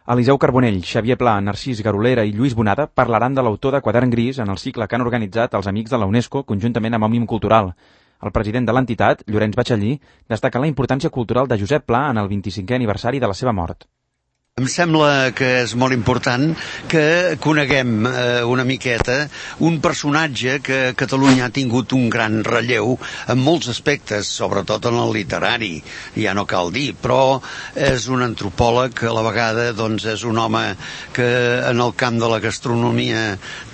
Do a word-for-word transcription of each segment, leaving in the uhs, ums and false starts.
Eliseu Carbonell, Xavier Pla, Narcís Garolera i Lluís Bonada parlaran de l'autor de Quadern Gris en el cicle que han organitzat els Amics de la UNESCO conjuntament amb Òmnium Cultural. El president de l'entitat, Llorenç Batxallí, destaca la importància cultural de Josep Pla en el vint-i-cinquè aniversari de la seva mort. Em sembla que és molt important que coneguem eh, una miqueta un personatge que Catalunya ha tingut un gran relleu en molts aspectes, sobretot en el literari, ja no cal dir, però és un antropòleg que a la vegada doncs, és un home que en el camp de la gastronomia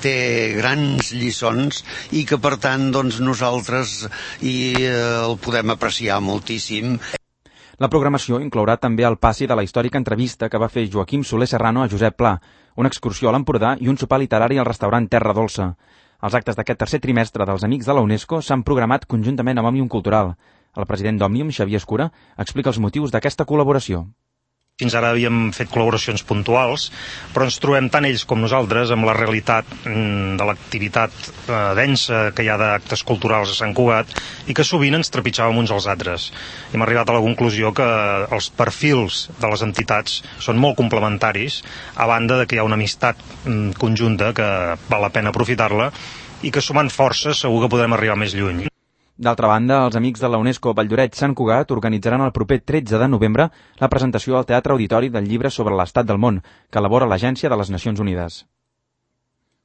té grans lliçons i que per tant doncs, nosaltres i, eh, el podem apreciar moltíssim. La programació inclourà també el passi de la històrica entrevista que va fer Joaquim Soler Serrano a Josep Pla, una excursió a l'Empordà i un sopar literari al restaurant Terra Dolça. Els actes d'aquest tercer trimestre dels Amics de la UNESCO s'han programat conjuntament amb Òmnium Cultural. El president d'Òmnium, Xavier Escura, explica els motius d'aquesta col·laboració. Fins ara havíem fet col·laboracions puntuals, però ens trobem tant ells com nosaltres amb la realitat de l'activitat eh, densa que hi ha d'actes culturals a Sant Cugat i que sovint ens trepitjàvem uns als altres. Hem arribat a la conclusió que els perfils de les entitats són molt complementaris, a banda de que hi ha una amistat mm, conjunta que val la pena aprofitar-la i que sumant forces segur que podrem arribar més lluny. D'altra banda, els Amics de la UNESCO Valldoreix-Sant Cugat organitzaran el proper tretze de novembre la presentació al Teatre Auditori del llibre sobre l'estat del món, que elabora l'Agència de les Nacions Unides.